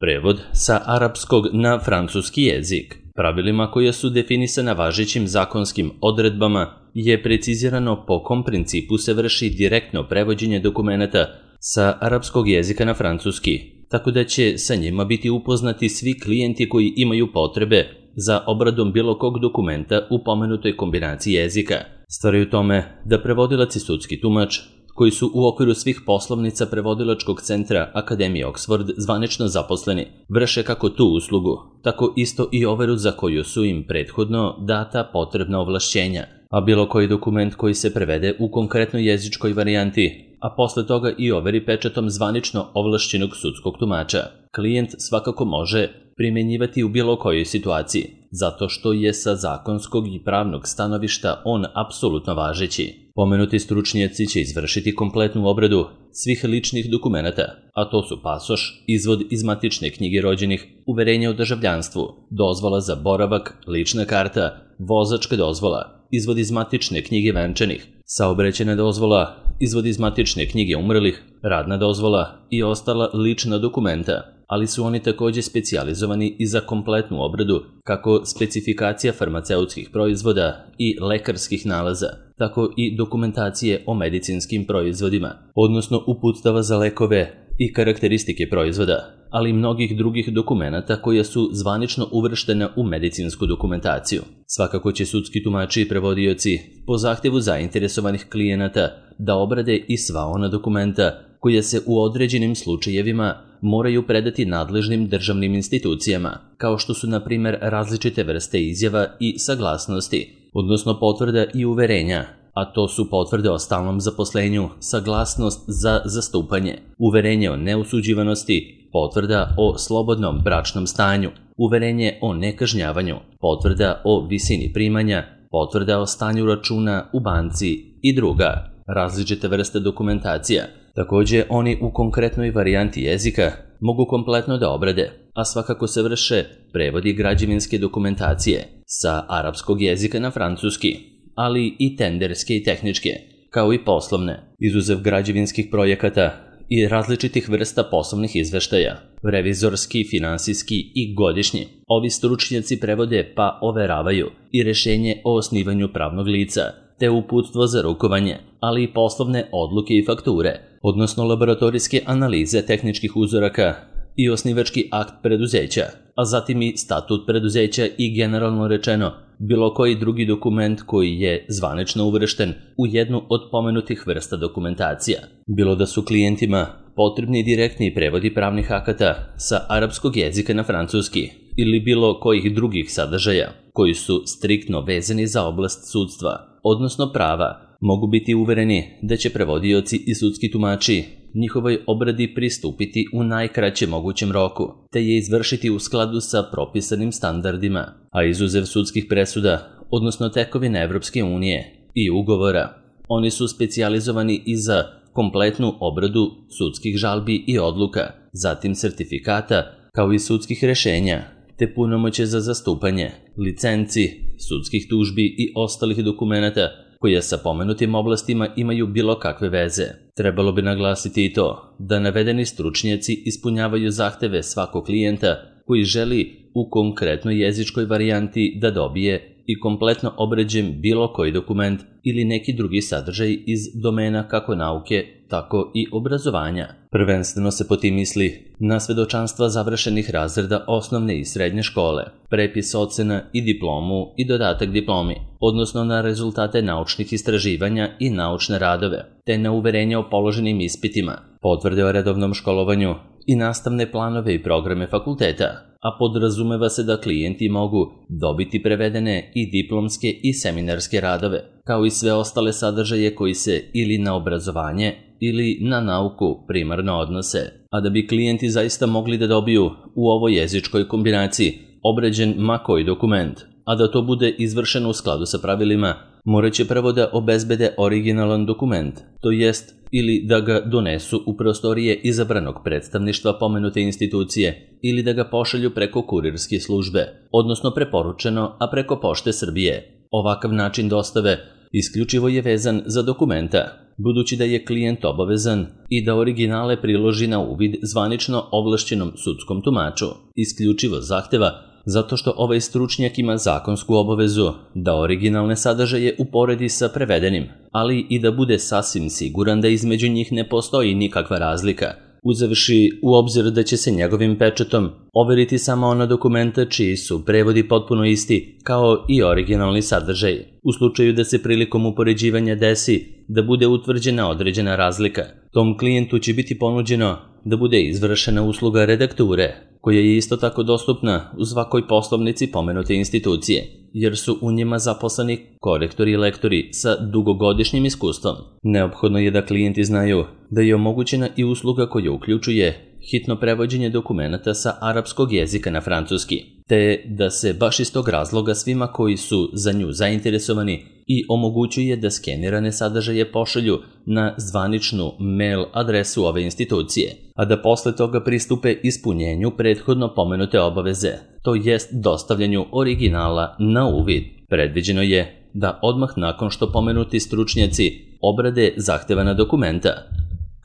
Prevod sa arapskog na francuski jezik. Pravilima koje su definisana važećim zakonskim odredbama je precizirano po kom principu se vrši direktno prevođenje dokumenata sa arapskog jezika na francuski, tako da će sa njima biti upoznati svi klijenti koji imaju potrebe za obradom bilo kog dokumenta u pomenutoj kombinaciji jezika. Stvar je u tome da prevodilac i sudski tumač, koji su u okviru svih poslovnica prevodilačkog centra Akademije Oxford zvanično zaposleni, vrše kako tu uslugu, tako isto i overu za koju su im prethodno data potrebna ovlašćenja, a bilo koji dokument koji se prevede u konkretnoj jezičkoj varijanti, a posle toga i overi pečatom zvanično ovlašćenog sudskog tumača, klijent svakako može primjenjivati u bilo kojoj situaciji, zato što je sa zakonskog i pravnog stanovišta on apsolutno važeći. Pomenuti stručnjaci će izvršiti kompletnu obradu svih ličnih dokumenata, a to su pasoš, izvod iz matične knjige rođenih, uverenje o državljanstvu, dozvola za boravak, lična karta, vozačka dozvola, izvod iz matične knjige venčanih, saobraćajna dozvola, izvod iz matične knjige umrlih, radna dozvola i ostala lična dokumenta, ali su oni takođe specijalizovani i za kompletnu obradu kako specifikacija farmaceutskih proizvoda i lekarskih nalaza, tako i dokumentacije o medicinskim proizvodima, odnosno uputstava za lekove i karakteristike proizvoda, ali i mnogih drugih dokumenata koja su zvanično uvrštena u medicinsku dokumentaciju. Svakako će sudski tumači i prevodioci po zahtevu zainteresovanih klijenata da obrade i sva ona dokumenta koja se u određenim slučajevima moraju predati nadležnim državnim institucijama, kao što su, na primjer, različite vrste izjava i saglasnosti, odnosno potvrda i uverenja, a to su potvrde o stalnom zaposlenju, saglasnost za zastupanje, uverenje o neusuđivanosti, potvrda o slobodnom bračnom stanju, uverenje o nekažnjavanju, potvrda o visini primanja, potvrda o stanju računa u banci i druga različite vrste dokumentacija. Takođe, oni u konkretnoj varijanti jezika mogu kompletno da obrade, a svakako se vrše prevodi građevinske dokumentacije sa arapskog jezika na francuski, ali i tenderske i tehničke, kao i poslovne, izuzev građevinskih projekata i različitih vrsta poslovnih izveštaja, revizorski, finansijski i godišnji. Ovi stručnjaci prevode pa overavaju i rešenje o osnivanju pravnog lica, te uputstvo za rukovanje, ali i poslovne odluke i fakture, odnosno laboratorijske analize tehničkih uzoraka i osnivački akt preduzeća, a zatim i statut preduzeća i, generalno rečeno, bilo koji drugi dokument koji je zvanično uvršten u jednu od pomenutih vrsta dokumentacija. Bilo da su klijentima potrebni direktni prevodi pravnih akata sa arapskog jezika na francuski ili bilo kojih drugih sadržaja koji su striktno vezani za oblast sudstva, odnosno prava, mogu biti uvereni da će prevodioci i sudski tumači njihovoj obradi pristupiti u najkraćem mogućem roku, te je izvršiti u skladu sa propisanim standardima, a izuzev sudskih presuda, odnosno tekovine Evropske unije i ugovora, oni su specijalizovani i za kompletnu obradu sudskih žalbi i odluka, zatim sertifikata, kao i sudskih rešenja, te punomoće za zastupanje, licenci, sudskih tužbi i ostalih dokumenata koje sa pomenutim oblastima imaju bilo kakve veze. Trebalo bi naglasiti i to da navedeni stručnjaci ispunjavaju zahteve svakog klijenta koji želi u konkretnoj jezičkoj varijanti da dobije i kompletno obrađen bilo koji dokument ili neki drugi sadržaj iz domena kako nauke, tako i obrazovanja. Prvenstveno se po tim misli na svedočanstva završenih razreda osnovne i srednje škole, prepis ocena i diplomu i dodatak diplomi, odnosno na rezultate naučnih istraživanja i naučne radove, te na uverenje o položenim ispitima, potvrde o redovnom školovanju i nastavne planove i programe fakulteta, a podrazumeva se da klijenti mogu dobiti prevedene i diplomske i seminarske radove, kao i sve ostale sadržaje koji se ili na obrazovanje ili na nauku primarno odnose. A da bi klijenti zaista mogli da dobiju u ovoj jezičkoj kombinaciji obrađen ma koji dokument, a da to bude izvršeno u skladu sa pravilima, morat će prvo da obezbede originalan dokument, to jest ili da ga donesu u prostorije izabranog predstavništva pomenute institucije ili da ga pošalju preko kurirske službe, odnosno preporučeno, a preko Pošte Srbije. Ovakav način dostave isključivo je vezan za dokumenta, budući da je klijent obavezan i da originale priloži na uvid zvanično ovlašćenom sudskom tumaču, isključivo zahteva zato što ovaj stručnjak ima zakonsku obavezu da originalne sadržaje uporedi sa prevedenim, ali i da bude sasvim siguran da između njih ne postoji nikakva razlika, uzevši u obzir da će se njegovim pečatom overiti samo ona dokumenta čiji su prevodi potpuno isti kao i originalni sadržaj. U slučaju da se prilikom upoređivanja desi da bude utvrđena određena razlika, tom klijentu će biti ponuđeno da bude izvršena usluga redakture, koja je isto tako dostupna u svakoj poslovnici pomenute institucije, jer su u njima zaposleni korektori i lektori sa dugogodišnjim iskustvom. Neophodno je da klijenti znaju da je omogućena i usluga koja uključuje hitno prevođenje dokumenata sa arapskog jezika na francuski, te da se baš iz tog razloga svima koji su za nju zainteresovani i omogućuje da skenirane sadržaje pošalju na zvaničnu mail adresu ove institucije, a da posle toga pristupe ispunjenju prethodno pomenute obaveze, to jest dostavljanju originala na uvid. Predviđeno je da odmah nakon što pomenuti stručnjaci obrade zahtevana dokumenta,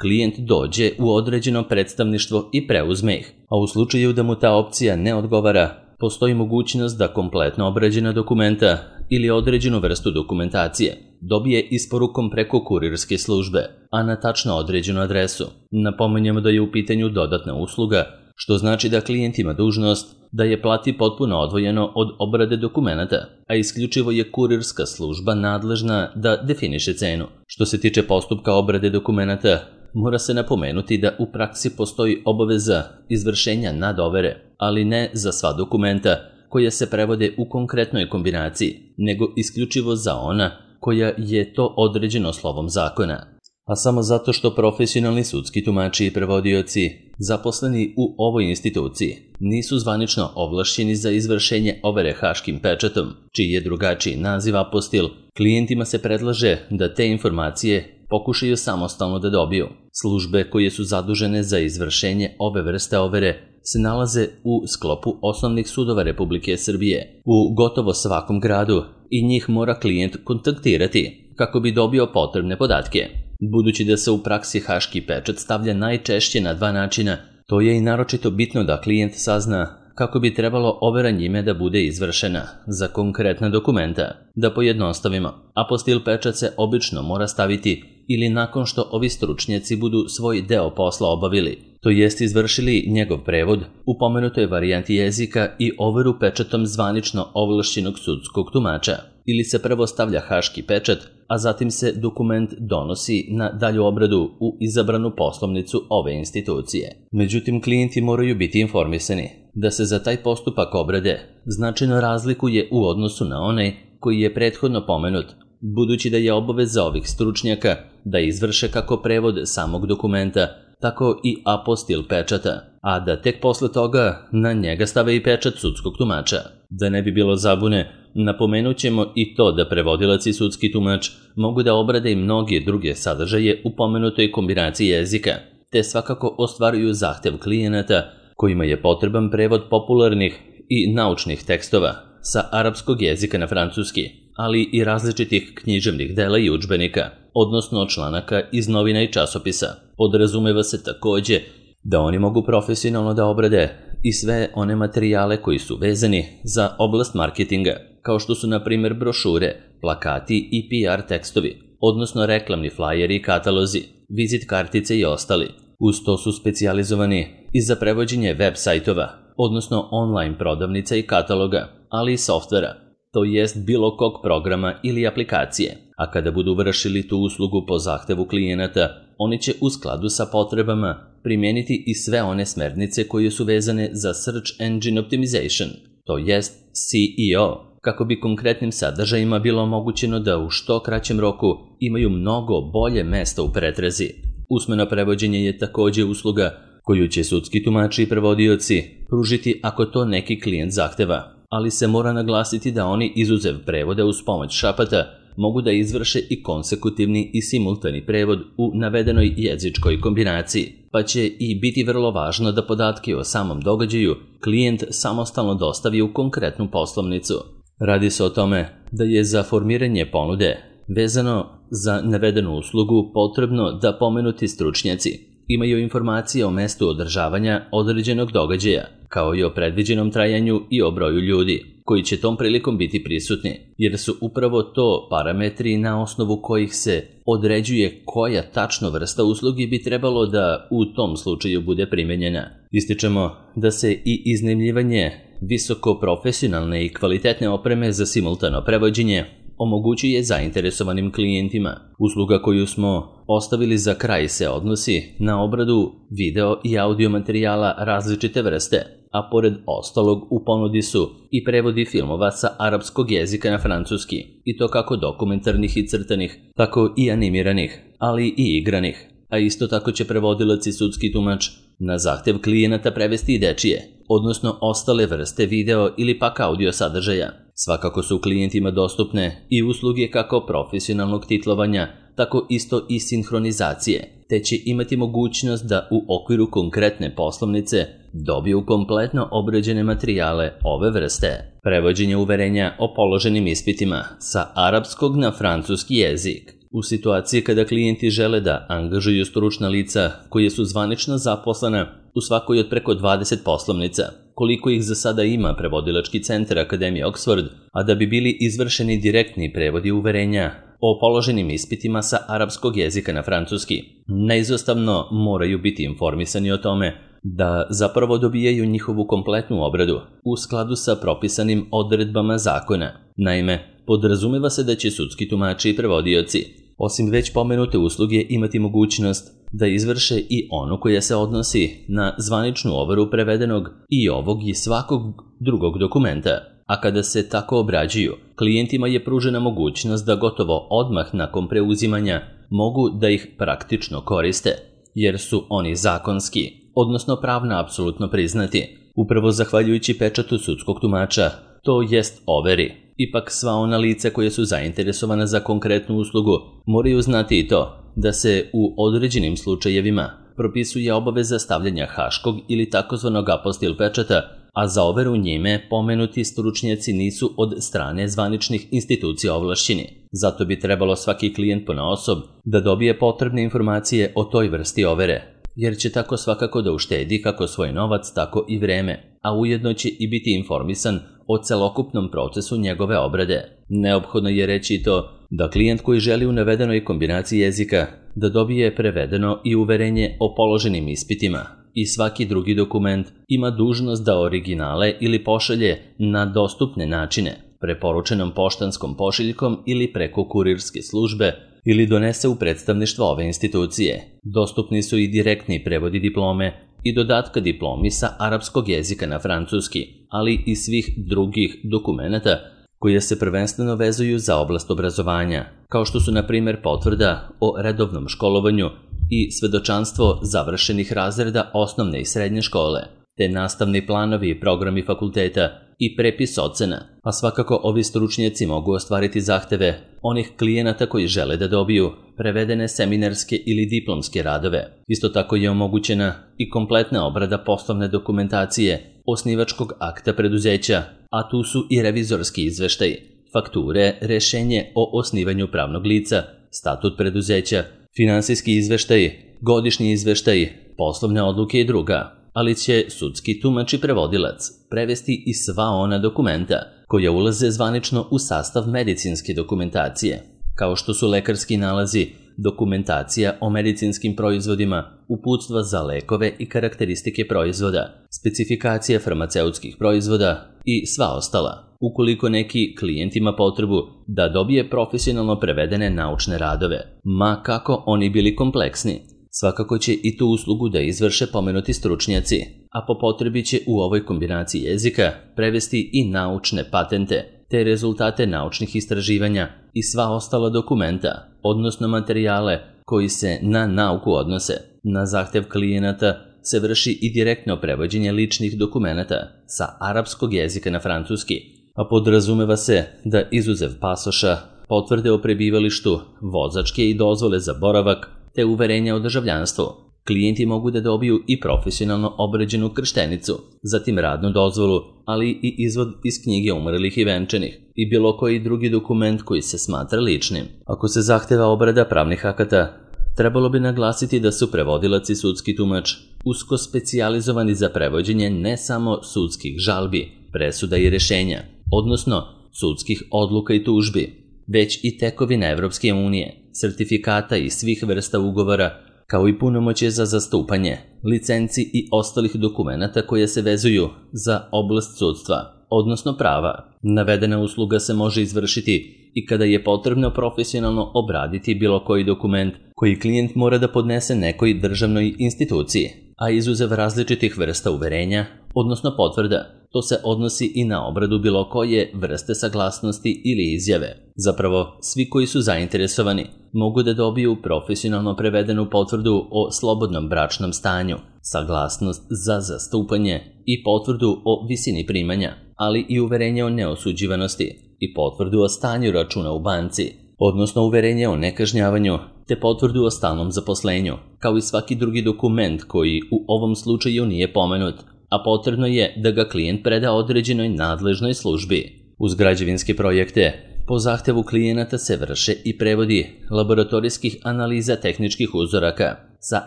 klijent dođe u određeno predstavništvo i preuzme ih, a u slučaju da mu ta opcija ne odgovara, postoji mogućnost da kompletno obrađena dokumenta ili određenu vrstu dokumentacije dobije isporukom preko kurirske službe, a na tačno određenu adresu. Napominjemo da je u pitanju dodatna usluga, što znači da klijent ima dužnost da je plati potpuno odvojeno od obrade dokumenata, a isključivo je kurirska služba nadležna da definiše cenu. Što se tiče postupka obrade dokumenata, mora se napomenuti da u praksi postoji obaveza izvršenja nadovere, ali ne za sva dokumenta koja se prevode u konkretnoj kombinaciji, nego isključivo za ona koja je to određeno slovom zakona. A samo zato što profesionalni sudski tumači i prevodioci zaposleni u ovoj instituciji nisu zvanično ovlašćeni za izvršenje overe haškim pečatom, čiji je drugačiji naziv apostil, klijentima se predlaže da te informacije pokušaju samostalno da dobiju. Službe koje su zadužene za izvršenje ove vrste overe se nalaze u sklopu osnovnih sudova Republike Srbije u gotovo svakom gradu i njih mora klijent kontaktirati kako bi dobio potrebne podatke. Budući da se u praksi haški pečat stavlja najčešće na dva načina, to je i naročito bitno da klijent sazna kako bi trebalo overa njime da bude izvršena za konkretna dokumenta. Da pojednostavimo, apostil pečat se obično mora staviti ili nakon što ovi stručnjaci budu svoj deo posla obavili, to jest izvršili njegov prevod u pomenutoj varijanti jezika i overu pečatom zvanično ovlašćenog sudskog tumača, ili se prvo stavlja haški pečat, a zatim se dokument donosi na dalju obradu u izabranu poslovnicu ove institucije. Međutim, klijenti moraju biti informisani da se za taj postupak obrade značajno razlikuje u odnosu na onaj koji je prethodno pomenut, budući da je obaveza ovih stručnjaka da izvrše kako prevod samog dokumenta, tako i apostil pečata, a da tek posle toga na njega stave i pečat sudskog tumača. Da ne bi bilo zabune, napomenut ćemo i to da prevodilac i sudski tumač mogu da obrade i mnoge druge sadržaje u pomenutoj kombinaciji jezika, te svakako ostvaruju zahtev klijenata kojima je potreban prevod popularnih i naučnih tekstova sa arapskog jezika na francuski, ali i različitih književnih dela i udžbenika, odnosno članaka iz novina i časopisa. Podrazumeva se takođe da oni mogu profesionalno da obrade i sve one materijale koji su vezani za oblast marketinga, kao što su na primjer brošure, plakati i PR tekstovi, odnosno reklamni flajeri i katalozi, vizit kartice i ostali. Uz to su specijalizovani i za prevođenje web sajtova, odnosno online prodavnica i kataloga, ali i softvera, to jest bilo kog programa ili aplikacije, a kada budu vršili tu uslugu po zahtevu klijenata, oni će u skladu sa potrebama primijeniti i sve one smernice koje su vezane za Search Engine Optimization, to jest SEO, kako bi konkretnim sadržajima bilo omogućeno da u što kraćem roku imaju mnogo bolje mesto u pretrazi. Usmeno prevođenje je takođe usluga koju će sudski tumači i prevodioci pružiti ako to neki klijent zahteva, ali se mora naglasiti da oni izuzev prevoda uz pomoć šapata mogu da izvrše i konsekutivni i simultani prevod u navedenoj jezičkoj kombinaciji, pa će i biti vrlo važno da podatke o samom događaju klijent samostalno dostavi u konkretnu poslovnicu. Radi se o tome da je za formiranje ponude Vezano za navedenu uslugu potrebno da pomenuti stručnjaci imaju informacije o mestu održavanja određenog događaja, kao i o predviđenom trajanju i o broju ljudi koji će tom prilikom biti prisutni, jer su upravo to parametri na osnovu kojih se određuje koja tačno vrsta usluge bi trebalo da u tom slučaju bude primenjena. Ističemo da se i iznajmljivanje visoko profesionalne i kvalitetne opreme za simultano prevođenje omogućuje zainteresovanim klijentima. Usluga koju smo ostavili za kraj se odnosi na obradu video i audio materijala različite vrste, a pored ostalog u ponudi su i prevodi filmova sa arapskog jezika na francuski, i to kako dokumentarnih i crtanih, tako i animiranih, ali i igranih. A isto tako će prevodilac i sudski tumač na zahtev klijenata prevesti i dečije, odnosno ostale vrste video ili pak audio sadržaja. Svakako su klijentima dostupne i usluge kako profesionalnog titlovanja, tako isto i sinhronizacije, te će imati mogućnost da u okviru konkretne poslovnice dobiju kompletno obrađene materijale ove vrste. Prevođenje uverenja o položenim ispitima sa arapskog na francuski jezik. U situaciji kada klijenti žele da angažuju stručna lica koje su zvanično zaposlena u svakoj od preko 20 poslovnica, koliko ih za sada ima prevodilački centar Akademije Oxford, a da bi bili izvršeni direktni prevodi uverenja o položenim ispitima sa arapskog jezika na francuski, neizostavno moraju biti informisani o tome da zapravo dobijaju njihovu kompletnu obradu u skladu sa propisanim odredbama zakona. Naime, podrazumeva se da će sudski tumači i prevodioci, osim već pomenute usluge, imati mogućnost da izvrše i onu koja se odnosi na zvaničnu overu prevedenog i ovog i svakog drugog dokumenta, a kada se tako obrađuju, klijentima je pružena mogućnost da gotovo odmah nakon preuzimanja mogu da ih praktično koriste, jer su oni zakonski, odnosno pravno apsolutno priznati, upravo zahvaljujući pečatu sudskog tumača, to jest overi. Ipak sva ona lica koja su zainteresovana za konkretnu uslugu moraju znati i to da se u određenim slučajevima propisuje obaveza stavljanja haškog ili takozvanog apostil pečata, a za overu njime pomenuti stručnjaci nisu od strane zvaničnih institucija ovlašćeni. Zato bi trebalo svaki klijent ponaosob da dobije potrebne informacije o toj vrsti overe, jer će tako svakako da uštedi kako svoj novac, tako i vreme, a ujedno će i biti informisan o celokupnom procesu njegove obrade. Neophodno je reći i to da klijent koji želi u navedenoj kombinaciji jezika da dobije prevedeno i uverenje o položenim ispitima i svaki drugi dokument ima dužnost da originale ili pošalje na dostupne načine, preporučenom poštanskom pošiljkom ili preko kurirske službe, ili donese u predstavništvo ove institucije. Dostupni su i direktni prevodi diplome i dodatka diplomi sa arapskog jezika na francuski, ali i svih drugih dokumenata koje se prvenstveno vezuju za oblast obrazovanja, kao što su na primjer potvrda o redovnom školovanju i svedočanstvo završenih razreda osnovne i srednje škole, te nastavni planovi i programi fakulteta i prepis ocena, a svakako ovi stručnjaci mogu ostvariti zahteve onih klijenata koji žele da dobiju prevedene seminarske ili diplomske radove. Isto tako je omogućena i kompletna obrada poslovne dokumentacije osnivačkog akta preduzeća, a tu su i revizorski izveštaj, fakture, rešenje o osnivanju pravnog lica, statut preduzeća, finansijski izveštaj, godišnji izveštaj, poslovne odluke i druga, ali će sudski tumač i prevodilac prevesti i sva ona dokumenta koja ulaze zvanično u sastav medicinske dokumentacije, kao što su lekarski nalazi, dokumentacija o medicinskim proizvodima, uputstva za lekove i karakteristike proizvoda, specifikacije farmaceutskih proizvoda i sva ostala. Ukoliko neki klijent ima potrebu da dobije profesionalno prevedene naučne radove, ma kako oni bili kompleksni, svakako će i tu uslugu da izvrše pomenuti stručnjaci, a po potrebi će u ovoj kombinaciji jezika prevesti i naučne patente, te rezultate naučnih istraživanja i sva ostala dokumenta, odnosno materijale koji se na nauku odnose. Na zahtev klijenata se vrši i direktno prevođenje ličnih dokumenata sa arapskog jezika na francuski, a podrazumeva se da izuzev pasoša, potvrde o prebivalištu, vozačke i dozvole za boravak, te uverenja o državljanstvu, Klijenti mogu da dobiju i profesionalno obređenu krštenicu, zatim radnu dozvolu, ali i izvod iz knjige umrlih i venčanih i bilo koji drugi dokument koji se smatra ličnim. Ako se zahteva obrada pravnih akata, trebalo bi naglasiti da su prevodilac i sudski tumač usko specijalizovani za prevođenje ne samo sudskih žalbi, presuda i rešenja, odnosno sudskih odluka i tužbi, već i tekovina Evropske unije, sertifikata i svih vrsta ugovora, kao i punomoćje za zastupanje, licenci i ostalih dokumenata koje se vezuju za oblast sudstva, odnosno prava. Navedena usluga se može izvršiti i kada je potrebno profesionalno obraditi bilo koji dokument koji klijent mora da podnese nekoj državnoj instituciji, a izuzev različitih vrsta uverenja, odnosno potvrda. To se odnosi i na obradu bilo koje vrste saglasnosti ili izjave. Zapravo, svi koji su zainteresovani mogu da dobiju profesionalno prevedenu potvrdu o slobodnom bračnom stanju, saglasnost za zastupanje i potvrdu o visini primanja, ali i uverenje o neosuđivanosti i potvrdu o stanju računa u banci, odnosno uverenje o nekažnjavanju, te potvrdu o stalnom zaposlenju, kao i svaki drugi dokument koji u ovom slučaju nije pomenut, a potrebno je da ga klijent preda određenoj nadležnoj službi. Uz građevinske projekte, po zahtevu klijenata se vrše i prevodi laboratorijskih analiza tehničkih uzoraka sa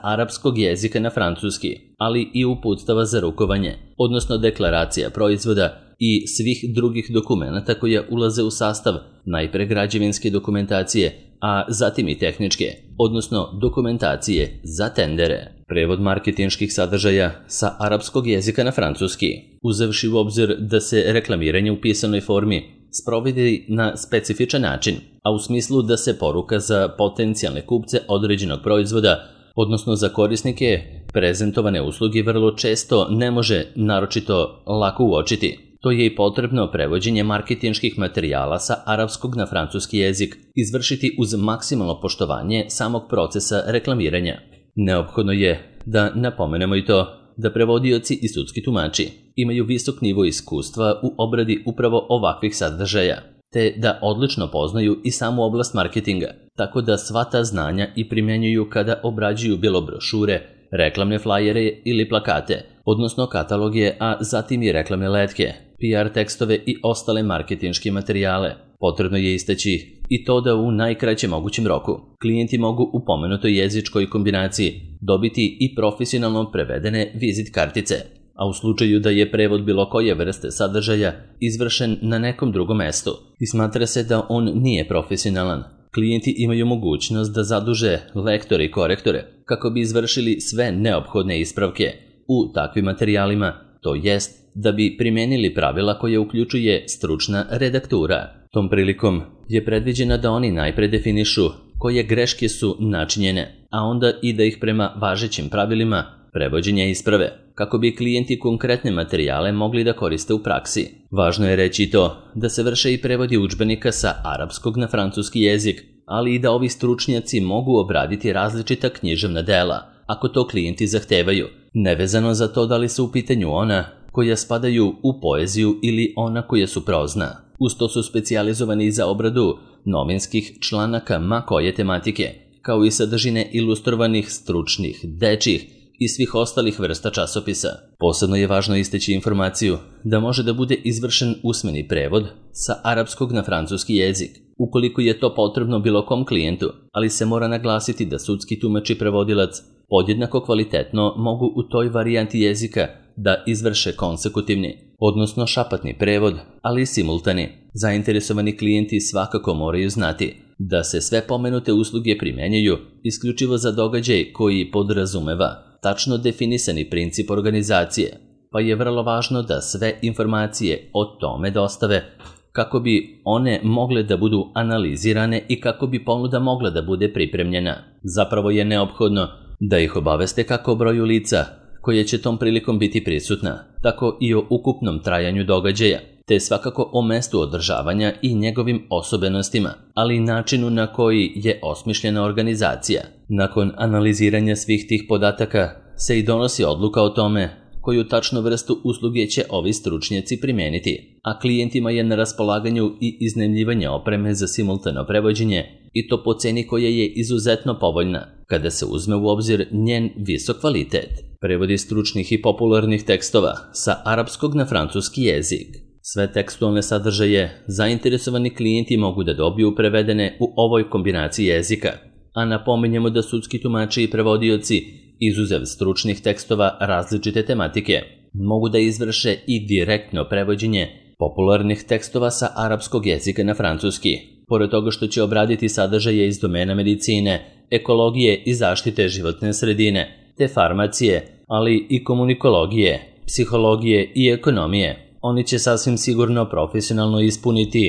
arapskog jezika na francuski, ali i uputstava za rukovanje, odnosno deklaracija proizvoda i svih drugih dokumenata koje ulaze u sastav najpre građevinske dokumentacije, a zatim i tehničke, odnosno dokumentacije za tendere. Prevod marketinških sadržaja sa arapskog jezika na francuski, uzevši u obzir da se reklamiranje u pisanoj formi sprovodi na specifičan način, a u smislu da se poruka za potencijalne kupce određenog proizvoda, odnosno za korisnike prezentovane usluge, vrlo često ne može naročito lako uočiti. To je i potrebno prevođenje marketinških materijala sa arapskog na francuski jezik izvršiti uz maksimalno poštovanje samog procesa reklamiranja. Neophodno je da napomenemo i to da prevodioci i sudski tumači imaju visok nivo iskustva u obradi upravo ovakvih sadržaja, te da odlično poznaju i samu oblast marketinga, tako da sva ta znanja i primjenjuju kada obrađuju bilo brošure, reklamne flajere ili plakate, odnosno kataloge, a zatim i reklamne letke, PR tekstove i ostale marketinške materijale. Potrebno je istaći i to da u najkraćem mogućem roku klijenti mogu u pomenutoj jezičkoj kombinaciji dobiti i profesionalno prevedene vizit kartice, a u slučaju da je prevod bilo koje vrste sadržaja izvršen na nekom drugom mestu i smatra se da on nije profesionalan, klijenti imaju mogućnost da zaduže lektore i korektore kako bi izvršili sve neophodne ispravke u takvim materijalima, to jest da bi primijenili pravila koje uključuje stručna redaktura. Tom prilikom je predviđeno da oni najpre definišu koje greške su načinjene, a onda i da ih prema važećim pravilima prevođenja isprave, kako bi klijenti konkretne materijale mogli da koriste u praksi. Važno je reći to da se vrše i prevodi udžbenika sa arapskog na francuski jezik, ali i da ovi stručnjaci mogu obraditi različita književna dela, ako to klijenti zahtevaju, nevezano za to da li su u pitanju ona koja spadaju u poeziju ili ona koja su prozna. Uz to su specijalizovani za obradu novinskih članaka ma koje tematike, kao i sadržine ilustrovanih, stručnih, dečjih i svih ostalih vrsta časopisa. Posebno je važno istaći informaciju da može da bude izvršen usmeni prevod sa arapskog na francuski jezik, ukoliko je to potrebno bilo kom klijentu, ali se mora naglasiti da sudski tumač i prevodilac podjednako kvalitetno mogu u toj varijanti jezika da izvrše konsekutivni, odnosno šapatni prevod, ali i simultani. Zainteresovani klijenti svakako moraju znati da se sve pomenute usluge primjenjuju isključivo za događaj koji podrazumeva tačno definisani princip organizacije, pa je vrlo važno da sve informacije o tome dostave kako bi one mogle da budu analizirane i kako bi ponuda mogla da bude pripremljena. Zapravo je neophodno da ih obaveste kako o broju lica koje će tom prilikom biti prisutna, tako i o ukupnom trajanju događaja, te svakako o mestu održavanja i njegovim osobenostima, ali i načinu na koji je osmišljena organizacija. Nakon analiziranja svih tih podataka se i donosi odluka o tome koju tačnu vrstu usluge će ovi stručnjaci primijeniti, a klijentima je na raspolaganju i iznajmljivanje opreme za simultano prevođenje i to po ceni koja je izuzetno povoljna, kada se uzme u obzir njen visok kvalitet. Prevodi stručnih i popularnih tekstova sa arapskog na francuski jezik. Sve tekstualne sadržaje zainteresovani klijenti mogu da dobiju prevedene u ovoj kombinaciji jezika, a napominjemo da sudski tumači i prevodioci, izuzev stručnih tekstova različite tematike, mogu da izvrše i direktno prevođenje popularnih tekstova sa arapskog jezika na francuski, pored toga što će obraditi sadržaje iz domena medicine, ekologije i zaštite životne sredine, te farmacije, ali i komunikologije, psihologije i ekonomije. Oni će sasvim sigurno profesionalno ispuniti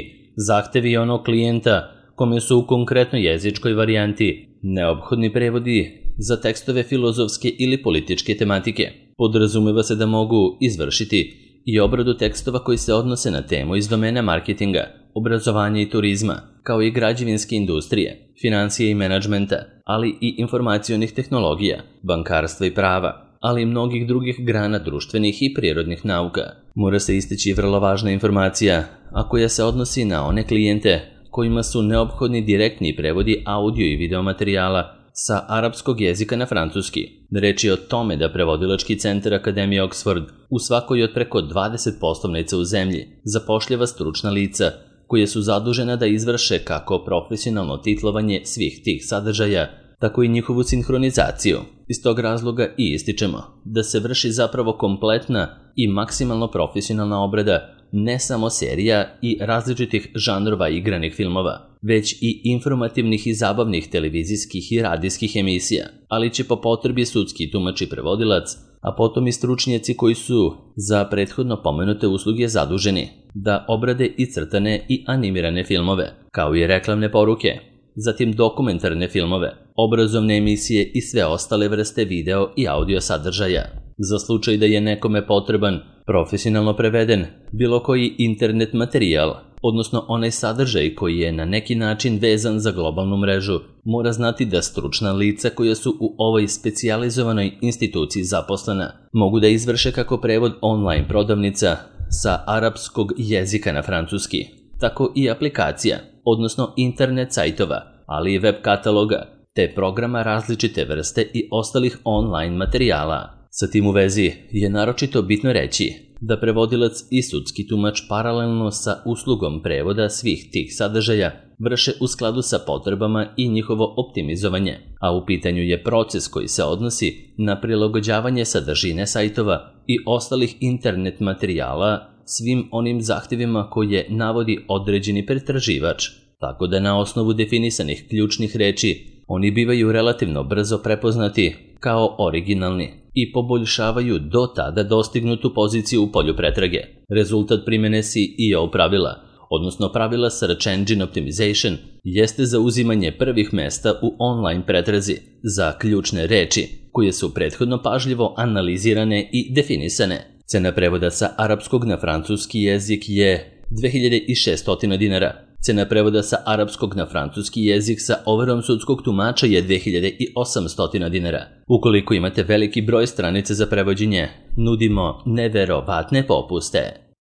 zahtevi onog klijenta kome su u konkretnoj jezičkoj varijanti neophodni prevodi za tekstove filozofske ili političke tematike. Podrazumeva se da mogu izvršiti i obradu tekstova koji se odnose na temu iz domena marketinga, obrazovanja i turizma, kao i građevinske industrije, financije i menadžmenta, ali i informacionih tehnologija, bankarstva i prava, ali i mnogih drugih grana društvenih i prirodnih nauka. Mora se istaći vrlo važna informacija, a koja se odnosi na one klijente kojima su neophodni direktni prevodi audio i video materijala sa arapskog jezika na francuski. Reč je o tome da prevodilački centar Akademije Oxford u svakoj od preko 20 poslovnica u zemlji zapošljava stručna lica koje su zadužena da izvrše kako profesionalno titlovanje svih tih sadržaja, tako i njihovu sinhronizaciju. Iz tog razloga i ističemo da se vrši zapravo kompletna i maksimalno profesionalna obrada ne samo serija i različitih žanrova igranih filmova, već i informativnih i zabavnih televizijskih i radijskih emisija, ali će po potrebi sudski tumač i prevodilac, a potom i stručnjaci koji su za prethodno pomenute usluge zaduženi da obrade i crtane i animirane filmove, kao i reklamne poruke, zatim dokumentarne filmove, obrazovne emisije i sve ostale vrste video i audio sadržaja. Za slučaj da je nekome potreban profesionalno preveden bilo koji internet materijal, odnosno onaj sadržaj koji je na neki način vezan za globalnu mrežu, mora znati da stručna lica koja su u ovoj specijalizovanoj instituciji zaposlena mogu da izvrše kako prevod online prodavnica sa arapskog jezika na francuski, tako i aplikacija, odnosno internet sajtova, ali i web kataloga, te programa različite vrste i ostalih online materijala. Sa tim u vezi je naročito bitno reći da prevodilac i sudski tumač paralelno sa uslugom prevoda svih tih sadržaja vrše u skladu sa potrebama i njihovo optimizovanje, a u pitanju je proces koji se odnosi na prilagođavanje sadržine sajtova i ostalih internet materijala svim onim zahtjevima koje navodi određeni pretraživač, tako da na osnovu definisanih ključnih reči oni bivaju relativno brzo prepoznati kao originalni i poboljšavaju do tada dostignutu poziciju u polju pretrage. Rezultat primjene SEO pravila, odnosno pravila Search Engine Optimization, jeste zauzimanje prvih mesta u online pretrazi za ključne reči koje su prethodno pažljivo analizirane i definisane. Cena prevoda sa arapskog na francuski jezik je 2600 dinara. Cena prevoda sa arapskog na francuski jezik sa overom sudskog tumača je 2800 dinara. Ukoliko imate veliki broj stranica za prevođenje, nudimo neverovatne popuste.